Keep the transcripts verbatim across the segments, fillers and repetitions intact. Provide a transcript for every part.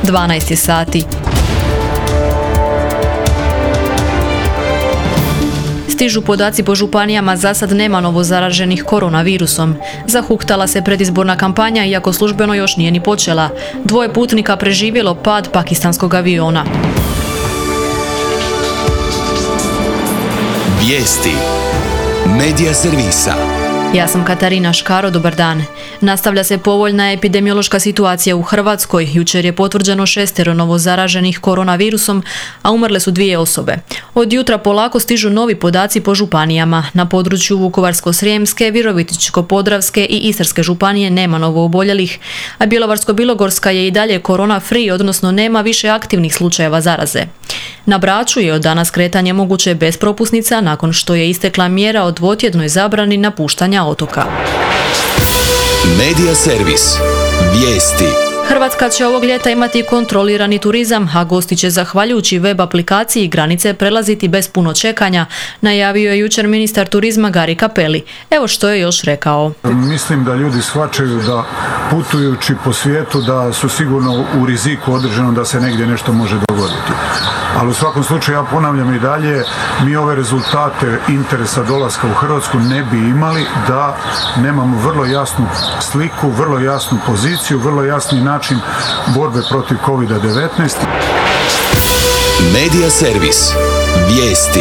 dvanaest je sati. Stižu podaci po županijama, za sad nema novo zaraženih koronavirusom. Zahuktala se predizborna kampanja, iako službeno još nije ni počela. Dvoje putnika preživjelo pad pakistanskog aviona. Vijesti Medija servisa. Ja sam Katarina Škaro, dobar dan. Nastavlja se povoljna epidemiološka situacija u Hrvatskoj. Jučer je potvrđeno šestero novo zaraženih koronavirusom, a umrle su dvije osobe. Od jutra polako stižu novi podaci po županijama. Na području Vukovarsko-srijemske, Virovitičko-podravske i Istarske županije nema novo oboljelih, a Bjelovarsko-bilogorska je i dalje korona free, odnosno nema više aktivnih slučajeva zaraze. Na Braču je od danas kretanje moguće bez propusnica nakon što je istekla mjera o dvotjednoj zabrani napuštanja otoka. Medija servis. Vijesti. Hrvatska će ovog ljeta imati kontrolirani turizam, a gosti će zahvaljujući web aplikaciji granice prelaziti bez puno čekanja, najavio je jučer ministar turizma Gari Cappelli. Evo što je još rekao. Mislim da ljudi shvaćaju da putujući po svijetu da su sigurno u riziku određeno da se negdje nešto može dogoditi. Ali u svakom slučaju, ja ponavljam i dalje, mi ove rezultate interesa dolaska u Hrvatsku ne bi imali da nemamo vrlo jasnu sliku, vrlo jasnu poziciju, vrlo jasni način borbe protiv kovid devetnaest. Medija servis. Vijesti.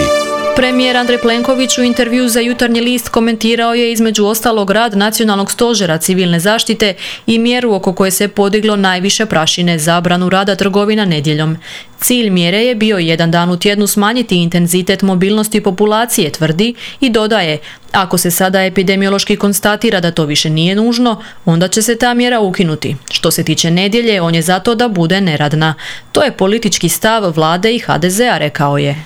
Premijer Andrej Plenković u intervju za Jutarnji list komentirao je između ostalog rad Nacionalnog stožera civilne zaštite i mjeru oko koje se podiglo najviše prašine, zabranu rada trgovina nedjeljom. Cilj mjere je bio jedan dan u tjednu smanjiti intenzitet mobilnosti populacije, tvrdi i dodaje, ako se sada epidemiološki konstatira da to više nije nužno, onda će se ta mjera ukinuti. Što se tiče nedjelje, on je zato da bude neradna. To je politički stav vlade i ha de zea, rekao je.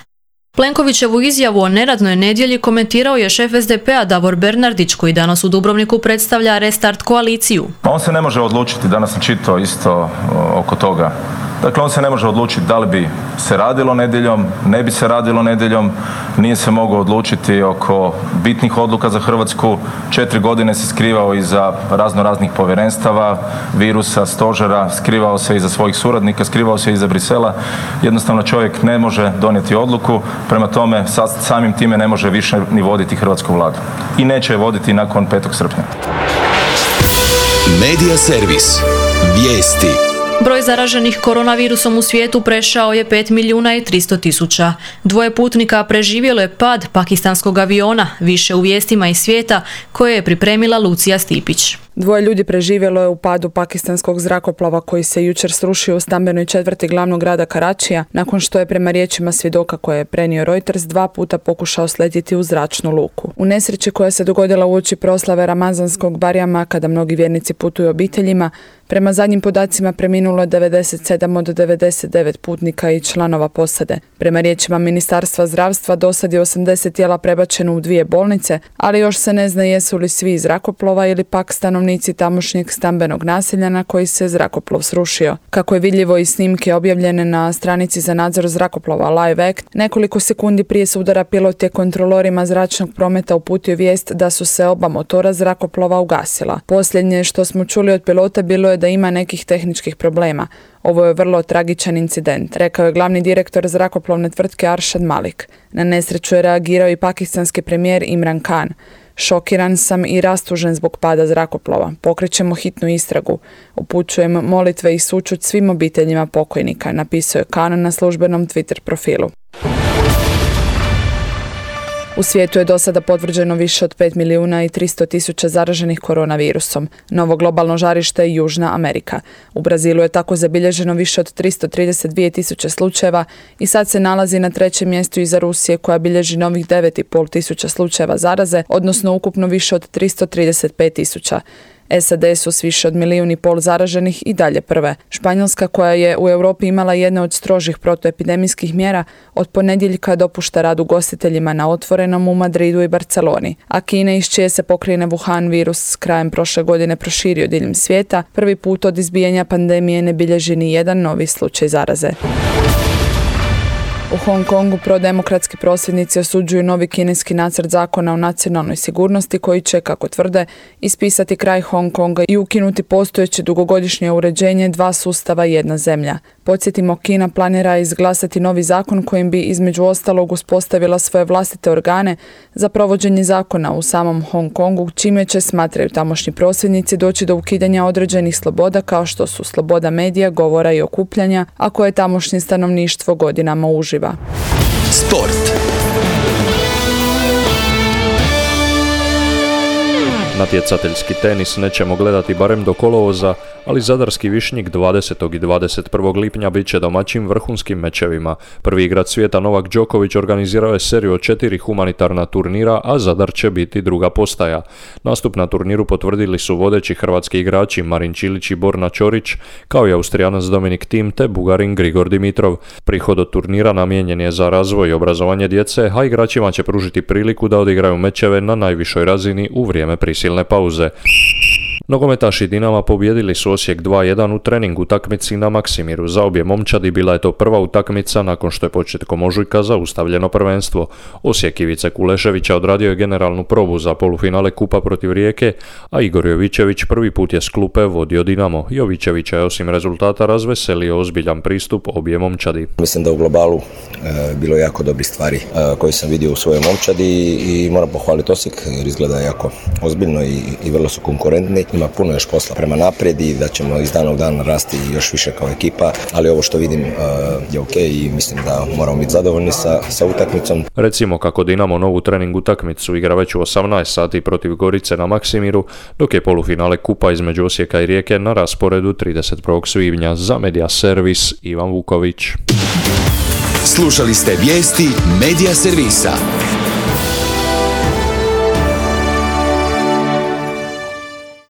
Plenkovićevu izjavu o neradnoj nedjelji komentirao je šef es de pea Davor Bernardić, koji danas u Dubrovniku predstavlja Restart koaliciju. On se ne može odlučiti, danas sam čitao isto oko toga. Dakle, on se ne može odlučiti da li bi se radilo nedjeljom, ne bi se radilo nedjeljom, nije se mogao odlučiti oko bitnih odluka za Hrvatsku. Četiri godine se skrivao iza razno raznih povjerenstava, virusa, stožera, skrivao se iza svojih suradnika, skrivao se iza Brisela. Jednostavno čovjek ne može donijeti odluku, prema tome samim time ne može više ni voditi hrvatsku vladu. I neće je voditi nakon petog srpnja. Medija servis. Vijesti. Broj zaraženih koronavirusom u svijetu prešao je pet milijuna i tristo tisuća. Dvoje putnika preživjelo je pad pakistanskog aviona, više u vijestima iz svijeta koje je pripremila Lucija Stipić. Dvoje ljudi preživjelo je u padu pakistanskog zrakoplova koji se jučer srušio u stambenoj četvrti glavnog grada Karačija, nakon što je prema riječima svjedoka koje je prenio Reuters dva puta pokušao sletjeti u zračnu luku. U nesreći koja se dogodila uoči proslave Ramazanskog Barjama, kada mnogi vjernici putuju obiteljima, prema zadnjim podacima preminulo je devedeset sedam od devedeset devet putnika i članova posade. Prema riječima Ministarstva zdravstva dosad je osamdeset tijela prebačeno u dvije bolnice, ali još se ne zna jesu li svi iz zrakoplova ili pak stanovnici tamošnjeg stambenog naselja na koji se zrakoplov srušio. Kako je vidljivo iz snimke objavljene na stranici za nadzor zrakoplova Live Act, nekoliko sekundi prije sudara pilot je kontrolorima zračnog prometa uputio vijest da su se oba motora zrakoplova ugasila. Posljednje što smo čuli od pilota bilo je da ima nekih tehničkih problema. Ovo je vrlo tragičan incident, rekao je glavni direktor zrakoplovne tvrtke Arshad Malik. Na nesreću je reagirao i pakistanski premijer Imran Khan. Šokiran sam i rastužen zbog pada zrakoplova. Pokrećemo hitnu istragu. Upućujem molitve i sućut svim obiteljima pokojnika, napisao je Khan na službenom Twitter profilu. U svijetu je do sada potvrđeno više od pet milijuna i tristo tisuća zaraženih koronavirusom. Novo globalno žarište je Južna Amerika. U Brazilu je tako zabilježeno više od tristo trideset dvije tisuće slučajeva i sad se nalazi na trećem mjestu iza Rusije koja bilježi novih devet i pol tisuća slučajeva zaraze, odnosno ukupno više od tristo trideset pet tisuća. es a de su s više od milijun i pol zaraženih i dalje prve. Španjolska, koja je u Europi imala jedne od strožih protuepidemijskih mjera, od ponedjeljka dopušta rad ugostiteljima na otvorenom u Madridu i Barceloni. A Kina, iz čije se pokrajine Wuhan virus krajem prošle godine proširio diljem svijeta, prvi put od izbijanja pandemije ne bilježi ni jedan novi slučaj zaraze. U Hong Kongu prodemokratski prosvjednici osuđuju novi kineski nacrt zakona o nacionalnoj sigurnosti koji će, kako tvrde, ispisati kraj Hong Konga i ukinuti postojeće dugogodišnje uređenje dva sustava jedna zemlja. Podsjetimo, Kina planira izglasati novi zakon kojim bi između ostalog uspostavila svoje vlastite organe za provođenje zakona u samom Hong Kongu, čime će, smatraju tamošnji prosvjednici, doći do ukidanja određenih sloboda kao što su sloboda medija, govora i okupljanja, a koje tamošnje stanovništvo godinama uživa. Sport. Natjecateljski tenis nećemo gledati barem do kolovoza, ali zadarski Višnjik dvadesetog i dvadeset prvog lipnja bit će domaćim vrhunskim mečevima. Prvi igrač svijeta Novak Đoković organizirao je seriju od četiri humanitarna turnira, a Zadar će biti druga postaja. Nastup na turniru potvrdili su vodeći hrvatski igrači Marin Čilić i Borna Ćorić, kao i Austrijanac Dominik Thiem te Bugarin Grigor Dimitrov. Prihod od turnira namijenjen je za razvoj i obrazovanje djece, a igračima će pružiti priliku da odigraju mečeve na najvišoj razini u vrijeme prisilne pauze. Nogometaši Dinama pobijedili su Osijek dva jedan u trening utakmici na Maksimiru. Za obje momčadi bila je to prva utakmica nakon što je početkom ožujka zaustavljeno prvenstvo. Osijek Ivice Kuleševića odradio je generalnu probu za polufinale kupa protiv Rijeke, a Igor Jovićević prvi put je s klupe vodio Dinamo. Jovićevića je osim rezultata razveselio ozbiljan pristup obje momčadi. Mislim da u globalu e, bilo je jako dobrih stvari e, koje sam vidio u svojoj momčadi i moram pohvaliti Osijek jer izgleda jako ozbiljno i, i vrlo su konkurentni. Ima puno još posla prema naprijed i da ćemo iz dana u dan rasti još više kao ekipa, ali ovo što vidim uh, je ok i mislim da moramo biti zadovoljni sa, sa utakmicom. Recimo kako Dinamo novu trening utakmicu igra već u osamnaest sati protiv Gorice na Maksimiru, dok je polufinale kupa između Osijeka i Rijeke na rasporedu trideset prvog svibnja. Za Media Servis Ivan Vuković. Slušali ste vijesti Media Servisa.